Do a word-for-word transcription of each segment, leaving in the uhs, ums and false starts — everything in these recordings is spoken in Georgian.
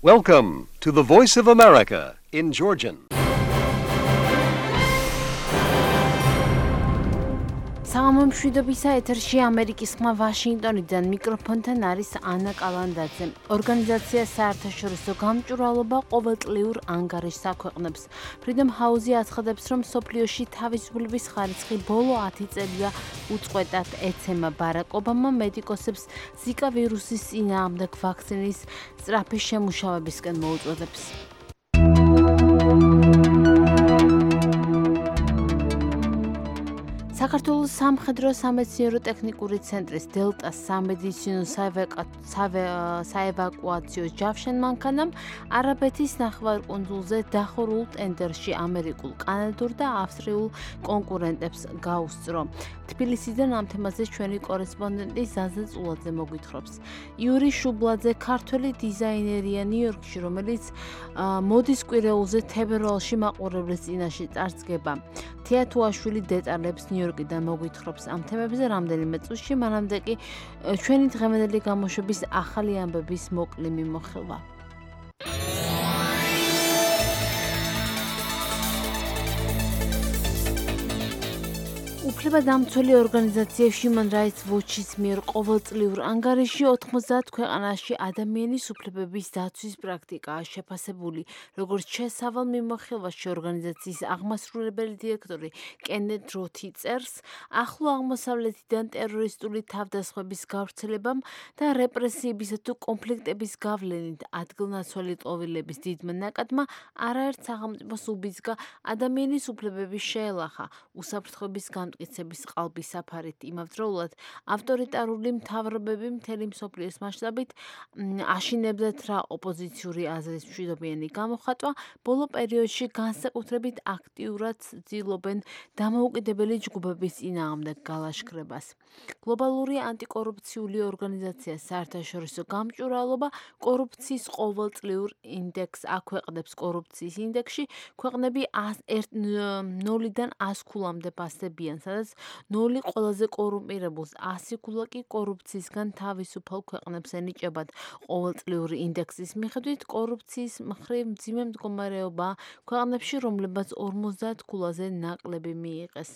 Welcome to the Voice of America in Georgian. Სამამშვიდობისა ეთერში ამერიკის ხმა ვაშინგტონიდან მიკროფონთან არის ანა კალანდაძე. ორგანიზაცია საერთაშორისო გამჭვირვალობა ყოველწლიურ ანგარიშს აქვეყნებს. Freedom House-ი აცხადებს, რომ მსოფლიოში თავისუფლების ხარისხი ბოლო ათი წელია უწყვეტად ეცემა. ბარაკ ობამა მედიკოსებს ზიკა ვირუსის წინააღმდეგ ვაქცინის სწრაფი შემუშავებისკენ მოუწოდებს. საქართველოს სამხედრო სამეცნიერო ტექნიკური ცენტრის დელტას სამედიცინო საევაკუაციო ჯავშან მანქანამ არაბეთის ნახევარკუნძულზე დახურულ ტენდერში ამერიკულ, კანადურ და ავსტრიულ კონკურენტებს გაუსწრო. თბილისიდან ამ თემაზე ჩვენი კორესპონდენტი ზაზა წულაძე მოგვითხრობს. იური შუბლაძე ქართველი დიზაინერია ნიუ-იორკში, რომელიც მოდის კვირეულზე თებერვალში მაყურებლის წინაშე წარსდგება. თეატუაშვილი დეტალებს ნიუ-იორკიდან მოგვითხრობს ამ თემებზე რამდენიმე წუთში, მანამდე კი ჩვენი დღევანდელი გამოშვების ახალი ამბების მოკლე მიმოხილვა. უფლებადამცველი ორგანიზაცია Human Rights Watch-ის მიერ ყოველწლიურ ანგარიში ოთხმოცდაათ ქვეყანაში ადამიანის უფლებების დაცვის პრაქტიკაა შეფასებული, როგორც შესავალ მიმოხილვაში ორგანიზაციის აღმასრულებელი დირექტორი კენეთ როთი წერს, ახლო აღმოსავლეთიდან ტერორისტული თავდასხმების გავრცელებამ და რეპრესიებისა თუ კონფლიქტების გავლენით ადგილნაცვალი ტოვილების დიდმა ნაკადმა არაერთ სახელმწიფოს უბიძგა ადამიანის უფლებების შეელახა, უსაფრთხოების გამტკიცების ყალბის საფარით. იმავდროულად ავტორიტარული მთავრობები მთელი მსოფლიოს მასშტაბით აშინებდათ რა ოპოზიციური აზრის მშვიდობიანი გამოხატვა, ბოლო პერიოდში განსაკუთრებით აქტიურად ცდილობენ დამოუკიდებელი ჯგუფების წინააღმდეგ გალაშქრებას. გლობალური ანტიკორუფციული ორგანიზაცია საერთაშორისო გამჭვირვალობა კორუფციის ყოველწლიურ ინდექსს აქვეყნებს. კორუფციის ინდექსში ქვეყნები ნულიდან ას ქულამდე პასდებიან, სადაც ნული ყველაზე კორუმპირებულს, ასი ქულა კი კორუფციისგან თავისუფალ ქვეყნებს ენიჭებათ. ყოველწლიური ინდექსის მიხედვით კორუფციის მხრივ მძიმე მდგომარეობაა ქვეყნებში, რომლებაც ორმოცდაათ ქულაზე ნაკლები მიიღეს.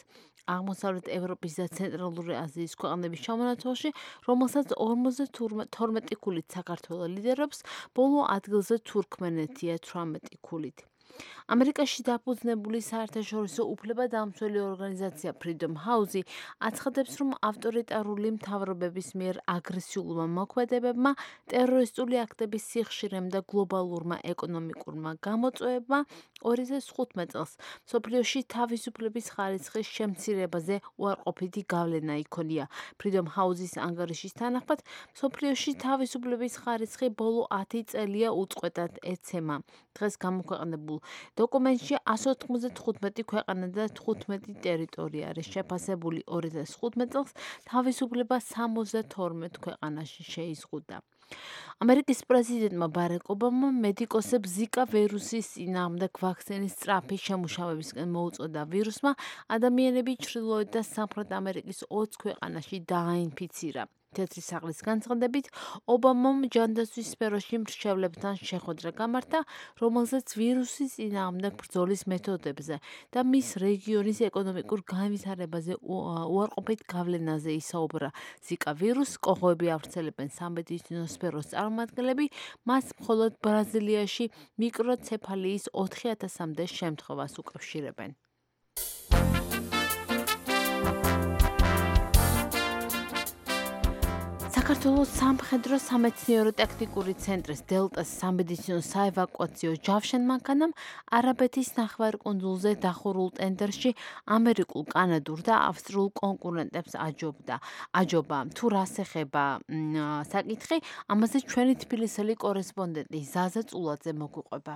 აღმოსავლეთ ევროპის და ცენტრალური აზიის ქვეყნების ჩამონათვალში, რომელსაც ორმოცდათორმეტი ქულით საქართველო ლიდერობს, ბოლო ადგილზე თურქმენეთია თვრამეტი ქულით. ამერიკაში დაფუძნებული საერთაშორისო უფლებადამცველი ორგანიზაცია Freedom House-ი აცხადებს, რომ ავტორიტარული მთავრობების მიერ აგრესიულმა მოქმედებებმა, ტერორისტული აქტების სიხშირემ და გლობალურმა ეკონომიკურმა გამოწვევებმა ორი ათას თხუთმეტ წელს მსოფლიოში თავისუფლების ხარისხის შემცირებაზე უარყოფითი გავლენა იქონია. Freedom House-ის ანგარიშის თანახმად, მსოფლიოში თავისუფლების ხარისხი ბოლო ათი წელია უწყვეტად ეცემა. დღეს გამოქვეყნებულ დოკუმენტში ასი ოთხმოცდათხუთმეტი ქვეყანა და თხუთმეტი ტერიტორია არის შეფასებული. ორი ათას თხუთმეტ წელს თავისუფლება სამოცდათორმეტ ქვეყანაში შეიზღუდა. ამერიკის პრეზიდენტმა ბარაკ ობამამ მედიკოსებს ზიკა ვირუსის წინააღმდეგ ვაქცინის სწრაფი შემუშავებისკენ მოუწოდა. ვირუსმა ადამიანები ჩრდილოეთ და სამხრეთ ამერიკის ოცი ქვეყანაში დააინფიცირა. თეთრი საღლის განცხადებით, ობამამ ჯანდაცვის სფეროში მრჩევლებთან შეხვედრა გამართა, რომელზეც ვირუსის წინააღმდეგ ბრძოლის მეთოდებზე და მის რეგიონის ეკონომიკურ განვითარებაზე უარყოფით გავლენაზე ისაუბრა. ზიკა ვირუსს კოღოები ავრცელებენ სამედიცინო სფეროს წარმომადგენლები, მას მხოლოდ ბრაზილიაში მიკროცეფალიის ოთხი ათასამდე შემთხვევას უკავშირებენ. საქართველოს სამხედრო სამეცნიერო ტექნიკური ცენტრის დელტას სამედიცინო საევაკუაციო ჯავშან მანქანამ არაბეთის ნახევარკუნძულზე დახურულ ტენდერში ამერიკულ, კანადურ და ავსტრიულ კონკურენტებს აჯობდა. აჯობა თუ რას ეხება საკითხი, ამაზე ჩვენი თბილისელი კორესპონდენტი ზაზა წულაძე მოგვიყვება.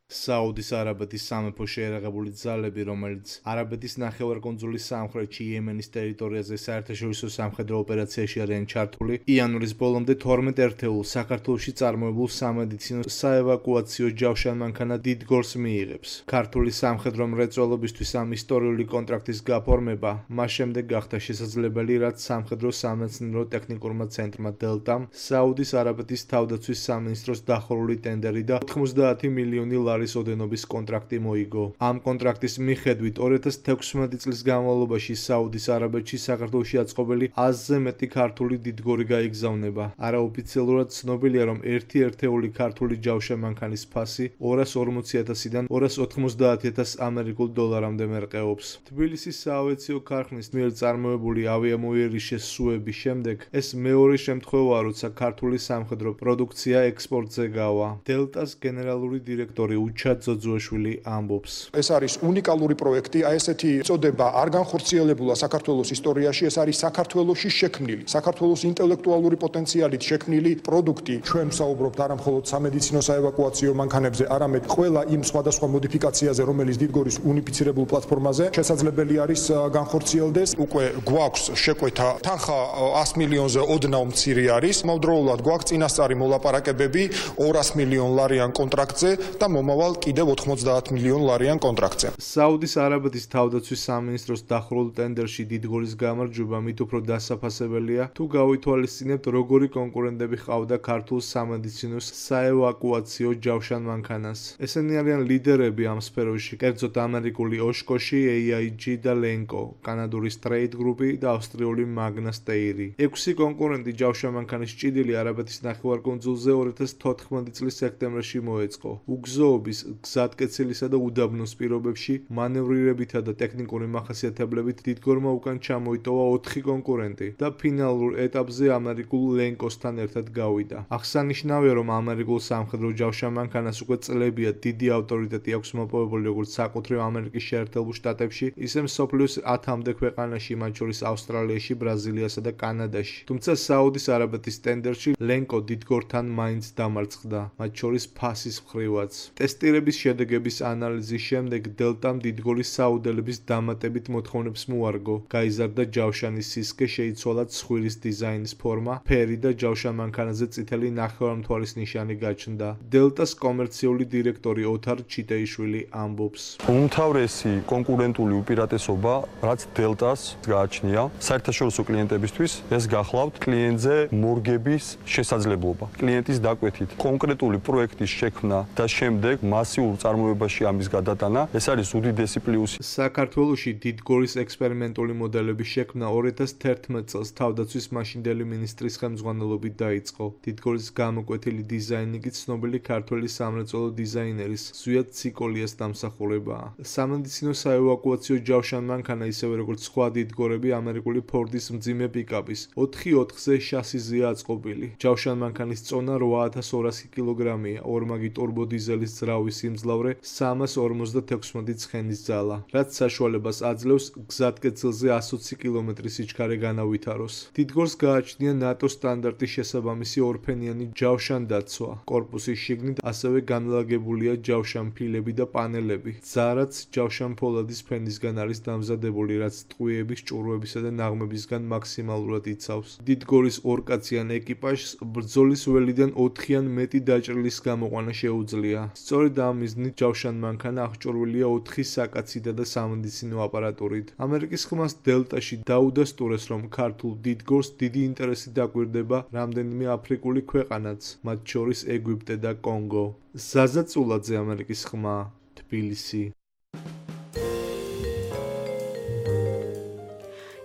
საუდის არაბეთის სამეფო შეერაღებული ძალები, რომელიც არაბეთის ნახევარკუნძულის სამხრეთში იემენის ტერიტორიაზე საერთაშორისო სამხედრო ოპერაციაში არიან ჩართული, იანვრის ბოლომდე თორმეტ ერთეულს საქართველოში წარმოებულ სამედიცინო საევაკუაციო ჯავშანმანქანა დიდგორს მიიღებს. ქართული სამხედრო მრეწველობისთვის ამ ისტორიული კონტრაქტის გაფორმება მას შემდეგ გახდა შესაძლებელი, რაც სამხედრო სამეცნიერო ტექნიკურმა ცენტრმა დელტამ საუდის არაბეთის თავდაცვის სამინისტროს დახურული ტენდერი და ოთხმოცდაათი მილიონი ლარის ოდენობის კონტრაქტი მოიგო. ამ კონტრაქტის მიხედვით ორი ათას თექვსმეტი წლის განმავლობაში საუდის არაბეთში საქართველოში აწყობილი ათზე მეტი ქართული დიდგორი გაიგზავნება. არაოფიციალურად ცნობილია, რომ ერთი ერთეული ქართული ჯავშანმანქანის ფასი ორას ორმოცი ათასიდან ორას ოთხმოცდაათი ათას ამერიკულ დოლარამდე მერყეობს. თბილისის საავიაციო ქარხნის მიერ წარმოებული ავიამოიერის შესუსუების შემდეგ ეს მეორე შემთხვევაა, როცა ქართული სამხედრო პროდუქცია ექსპორტზე გავა. დელტას გენერალური დირექტორი უჩა ძოძუაშვილი ამბობს. ეს არის უნიკალური პროექტი, აი ესეთი წოდება არ განხორციელებულა საქართველოს ისტორიაში, ეს არის საქართველოში შექმნილი, საქართველოს ინტელექტუალური პოტენციალით შექმნილი პროდუქტი. ჩვენ ვსაუბრობთ არა მხოლოდ სამედიცინო საევაკუაციო მანქანებზე, არამედ ყველა იმ სხვადასხვა მოდიფიკაციაზე, რომელიც დიდგორის უნიფიცირებულ პლატფორმაზე შესაძლებელი არის განხორციელდეს. უკვე გვაქვს შეკვეთა თანხა ას მილიონზე ოდნავ მცირე არის. მომდროულად გვაქვს წინასწარი მოლაპარაკებები ორას მილიონ ლარიან კონტრაქტზე და მომავალ კიდევ ოთხმოცდაათ მილიონ ლარიან კონტრაქტზე. საუდის არაბეთის თავდაცვის სამინისტროს დახურულ ტენდერში დიდგორის გამარჯვება მით უფრო დასაფასებელია, თუ გავითვალისწინებთ, როგორი კონკურენტები ჰყავდა ქართულ სამედიცინო საევაკუაციო ჯავშანმანქანას. ესენი არიან ლიდერები ამ სფეროში, კერძოდ ამერიკული ოშკოში, ეი აი ჯი და ლენკო, კანადური სტრეით გრუპი და ავსტრიული მაგნა სტეირი. ექვსი კონკურენტი ჯავშანმანქანის ჭიდილი არაბეთის ნახევარკუნძულზე ორი ათას თოთხმეტი წლის სექტემბერში მოეწყო. უგზოობის, გზატკეცილისა და უდაბნოს პირობებში მანევრირებითა და ტექნიკური მახასიათებლებით დიდგორმა უკან ჩამოიტოვა ოთხი კონკურენტი და ფინალურ ეტაპზე ამერიკულ ლენკოსთან ერთად გავიდა. აღსანიშნავია, რომ ამერიკულ სამხედრო ჯავშანმანქანას უკვე წლებია დიდი ავტორიტეტი აქვს მოპოვებული როგორც საკუთრივ ამერიკის შეერთებულ შტატებში, ისე მსოფლიოს ათამდე ქვეყანაში, მათ შორის ავსტრალიაში, ბრაზილიასა და კანადაში. თუმცა საუდის არაბეთის ტენდერში ლენკო დიდგორთან მაინც დამარცხდა, მათ შორის ფასის მხრივაც. ტესტირების შედეგების ანალიზის შემდეგ დელტამ დიდგორის საუდელების დამატებით მოთხოვნებს მოარგო. გაიზარდა ჯავშანის სისქე, შეიცვალა ცხვირის დიზაინის ფორმა, ფერი და ჯავშანმანქანაზე წითელი ნახევარმთვარის ნიშანი გაჩნდა. დელტას კომერციული დირექტორი ოთარ ჩიტეიშვილი ამბობს. უმთავრესი კონკურენტული უპირატესობა, რაც დელტას გააჩნია საერთაშორისო კლიენტებისთვის, ეს გახლავთ კლიენტზე მორგების შესაძლებლობა. კლიენტის დაკვეთით კონკრეტული პროექტის შექმნა და შემდეგ მასიურ წარმოებაში ამის გადატანა, ეს არის უდიდესი პლუსი. საქართველოში დიდგორის ექსპერიმენტული მოდელების შექმნა ორი ათას თერთმეტ წელს თავდაცვის მაშინდელი მინისტრის ხელმძღვანელობით დაიწყო. დიდგორის გამოკვეთილი დიზაინი კი ცნობილი ქართველი სამრეწველო დიზაინერის ზვიად ციკოლიას დამსახურებაა. სამედიცინო საევაკუაციო ჯავშანმანქანა, ისევე როგორც სხვა დიდგორები, ამერიკული ფორდის მძიმე პიკაპის ოთხი ოთხზე შასიზეა აწყობილი. ჯავშანმანქანის წონა რვა ათას ორასი კილოგრამია, ორმაგი ტურბოდიზელის ძრავის სიმძლავრე სამას ორმოცდათექვსმეტი ცხენის ძალა, რაც საშუალებას აძლევს გზატკეცილზე ას ოცი კილომეტრის სიჩქარე განავითაროს. დიდგორს გააჩნია ნატოს სტანდარტის შესაბამისი ორფენიანი ჯავშანდაცვა. კორპუსის შიგნით ასევე განლაგებულია ჯავშანფილები და პანელები. ძარაც ჯავშანფოლადის ფენისგან არის დამზადებული, რაც ტყვიების, ჭურვებისა და ნაღმებისგან მაქსიმალურად იცავს. დიდგორის ორკაციან ეკიპაჟს ბრძოლის ველიდან ოთხი ან მეტი დაჭრილის გამოყვანა შეუძლია. სწორედ ამ მიზნით ჯავშანმანქანა აღჭურვილია ოთხი საკაცითა და სამედიცინო აპარატურით. ამერიკის ხმას დელტაში დაუდასტურეს, რომ ქართულ დიდგორს დიდი ინტერესი დაგვირდება რამდენიმე აფრიკული ქვეყანაც, მათ შორის ეგვიპტე და კონგო. ზაზა წულაძე, ამერიკის ხმა, თბილისი.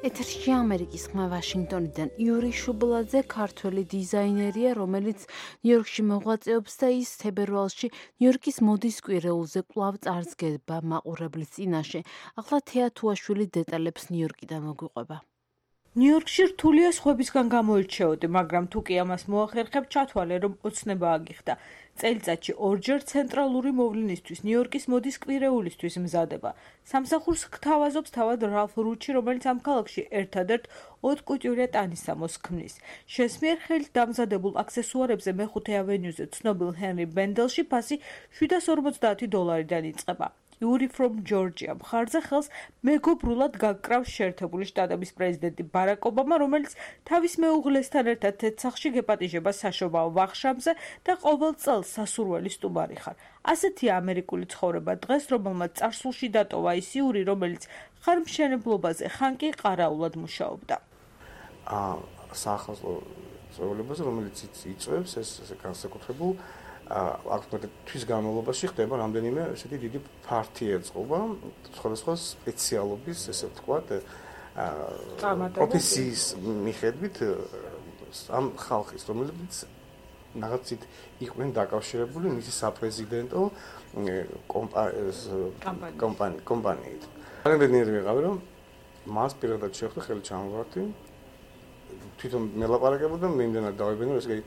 ეთერში ამერიკის ხმა ვაშინგტონიდან იური შუბლაძე ქართველი დიზაინერია, რომელიც ნიუ-იორკში მოღვაწეობს და ის თებერვალში ნიუ-იორკის მოდის კვირეულზე კვლავ წარსდგება მაყურებლის წინაშე. ახლა თეა თუაშვილი დეტალებს ნიუ-იორკიდან მოგვიყვება. ნიუ-იორკში რთულია სხვებისგან გამოირჩეოდი, მაგრამ თუ კი ამას მოახერხებ, ჩათვალე, რომ ოცნება აგიხდა. წელიწადში ორჯერ ცენტრალური მოვლენისთვის, ნიუ-იორკის მოდის კვირეულისთვის მზადება. სამსახურს გთავაზობს თავად რალფ რუჩი, რომელიც ამ ქალაქში ერთადერთ haute couture ტანისამოს ქმნის. შესმიერ ხელით დამზადებულ აქსესუარებზე მეხუთე ავენიუზე ცნობილ ჰენრი ბენდელში ფასი შვიდას ორმოცდაათი დოლარიდან იწყება. Yuri from Georgia მხარზე ხელს მეგობრულად გაკრავს შეერთებული შტატების პრეზიდენტი ბარაკ ობამა, რომელიც თავის მეუღლესთან ერთად თეთრსახში გეპატიჟება საშობაო ვახშამზე და ყოველ წელს სასურველი სტუმარი ხარ. ასეთია ამერიკული ცხოვრება დღეს, რომელმაც წარსულში დატოვა ის იური, რომელიც ხარმშენებლობაზე ხან კი ყარაულად მუშაობდა. აა სახელმწიფო ცხოვრებაზე, რომელიც იწვევს ეს განსაკუთრებულ აქტუალურად თვის განმავლობაში ხდება რამდენიმე ესეთი დიდი ფართი ეწყობა სხვადასხვა სპეციალობის, ესე ვთქვათ, პროფესიის მიხედვით ამ ხალხის, რომელიც რაღაცით იყვნენ დაკავშირებული მისი საპრეზიდენტო კომპანიით. კომპანიით. რამდენიმე ვიყავი, რომ მას პირადად შეხვდა ხელი ჩამოვარდი. თვითონ მელაპარაკებოდა, მე იმდენად დავებინო, ესე იგი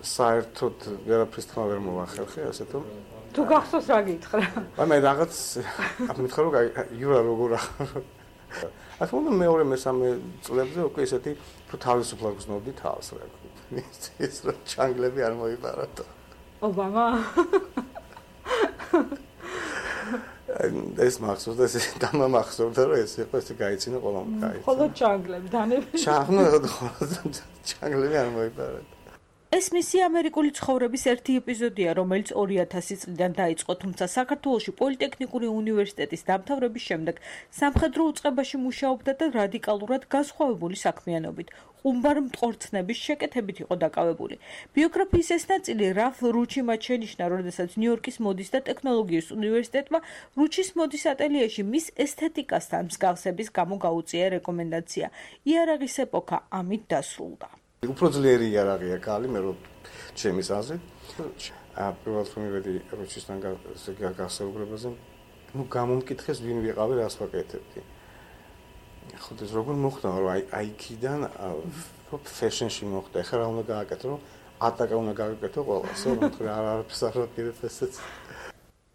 საერთოდ ვერაფრის თქმა ვერ მოვახერხე, ასე თუ თუ გახსოვს რა გითხრა? აი მე რაღაც ამითხარ რომ იურა როგორ ახლა თქმა უნდა მეორე მესამე წლებზე უკვე ესეთი თუ თავისუფლად გზნობდი თავს რა. ეს რა ჩანგლები არ მოიპარატო. ობამა ეს მახსოვს და ეს დამამახსოვდა რომ ეს იყო ესე გაიცინა ყველამ გაიცინა. ხოლო ჩანგლები დანები. ჩანგლები ჩანგლები არ მოიპარატო. ეს მისი ამერიკული ცხოვრების ერთი ეპიზოდია, რომელიც ორი ათასი წლიდან დაიწყო, თუმცა საქართველოში პოლიტექნიკური უნივერსიტეტის დამთავრების შემდეგ სამხედრო უწყებაში მუშაობდა და რადიკალურად განსხვავებული საქმიანობით, ყუმბარ მტყორცნების შეკეთებით იყო დაკავებული. ბიოგრაფიის ეს ნაწილი რალფ რუჩიმ შენიშნა, როდესაც ნიუ-იორკის მოდის და ტექნოლოგიის უნივერსიტეტმა რუჩის მოდის ატელიეში მის ესთეტიკასთან მსგავსების გამო გაუწია რეკომენდაცია. იარაღის ეპოქა ამით დასრულდა. უფრო ძლიერი იარაღია კალი, მე რო ჩემის აზრით. პირველად რომ მივედი რუჩისთან გასაუბრებაზე, ну გამომკითხეს ვინ ვიყავი, რას ვაკეთებდი. ხო ეს როგორ მოხდა, რომ აი აიქიდან ფეშენში მოხდა. ეხლა რა უნდა გააკეთო, რომ ატაკა უნდა გააკეთო ყველას, რომ თქვი არ არის არაფერს ესეც.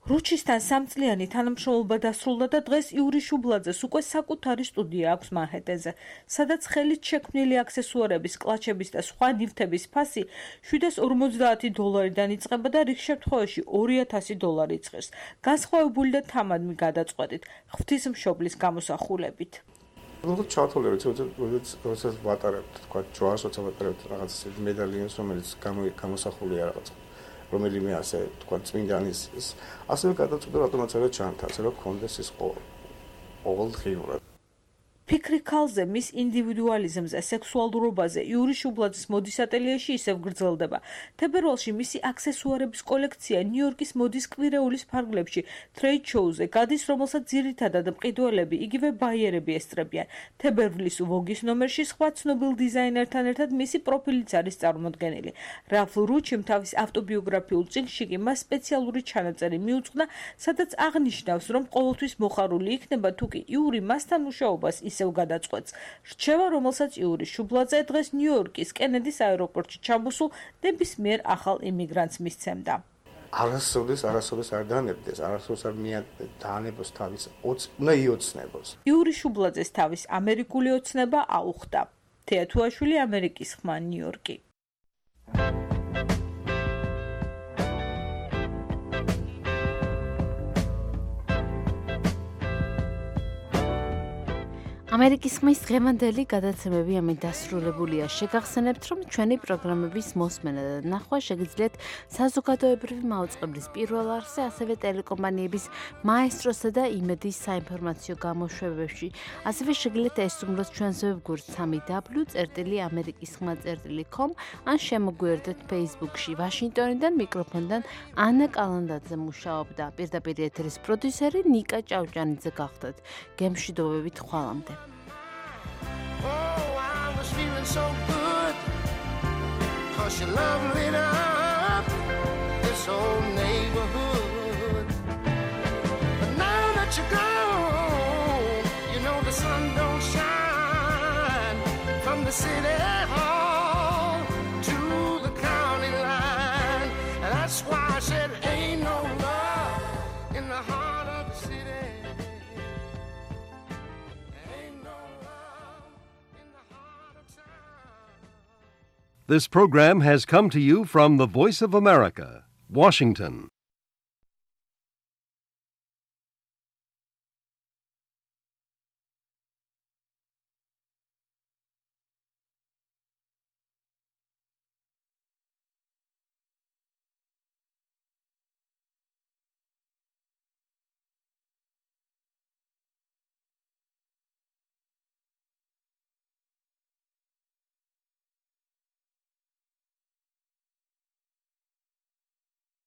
რუჩისთან სამწლიანი თანამშრომლობა დასრულდა და დღეს იური შუბლაძეს უკვე საკუთარი სტუდია აქვს მანჰეტენზე, სადაც ხელით შექმნილი აქსესუარების, კლაჩების და სხვა ნივთების ფასი შვიდას ორმოცდაათი დოლარიდან იწყება და რიგ შემთხვევაში ორი ათასი დოლარი იწყებს. განსხვავებული და თამადმი გადაწყვეტით ღვთისმშობლის გამოსახულებით. ну ჩათვალე როდესაც ვატარებთ, თქვა ჯვარს, როცა ვატარებთ რაღაც მედალიონს, რომელიც გამოსახულია რაღაც რომელიმე ასე თქვა წმინდანის ასევე გადაწყვეტა რატომაც არა ჩანთაზე რომ კონდეს ის ყოველდღიურად ფიქრი ქალზე, მის ინდივიდუალიზმზე, სექსუალურობაზე იური შუბლაძის მოდის ატელიეში ისევ გრძელდება. თებერვალში მისი აქსესუარების კოლექცია ნიუ-იორკის მოდის კვირეულის ფარგლებში ტრეიდ შოუზე გადის, რომელსაც ძირითადად მყიდველები, იგივე ბაიერები ესწრებიან. თებერვლის ვოგის ნომერში სხვა ცნობილ დიზაინერთან ერთად მისი პროფილიც არის წარმოდგენილი. რალფ რუჩიმ თავის ავტობიოგრაფიულ წიგნში კი მას სპეციალური ჩანაწერი მიუძღვნა, სადაც აღნიშნავს, რომ ყოველთვის მოხარული იქნება, თუ კი იური მასთან მუშაობას ისევ გადაწყვეტს. რჩევა, რომელსაც იური შუბლაძე დღეს ნიუ-იორკის კენედის აეროპორტში ჩამოსულ ნებისმიერ ახალ იმიგრანტს მისცემდა. არასოდეს, არასოდეს არ დაანებდეს, არასოდეს არ დაანებოს თავის უნდა იოცნებოს. იური შუბლაძეს თავის ამერიკული ოცნება აუხდა. თეათუაშვილი, ამერიკის ხმა, ნიუ-იორკი. ამერიკის ხმის დღევანდელი გადაცემები ამით დასრულებულია. შეგახსენებთ, რომ ჩვენი პროგრამების მოსმენა და ნახვა შეგიძლიათ საზოგადოებრივი მაუწყებლის პირველ არხზე, ასევე ტელეკომპანიების მაესტროსა და იმედის საინფორმაციო გამოშვებებში. ასევე შეგიძლიათ ესწრებოთ ჩვენს ვებგვერდს სამი დაბლიუ წერტილი ამერიკის ხმა წერტილი com ან შემოგვიერთდეთ Facebook-ში. ვაშინგტონიდან მიკროფონიდან ანა კალანდაძე მუშაობდა. პირდაპირ ეთერის პროდიუსერი ნიკა ჭავჭანიძე გახდათ. გემშვიდობებით ხვალამდე. Oh, I was feeling so good, 'cause you love lit up this whole neighborhood. But now that you're gone, you know the sun don't shine the city hall to the county line. And that's why I said ain't no love in the heart of the city. Ain't no love in the heart of town. This program has come to you from the Voice of America, Washington.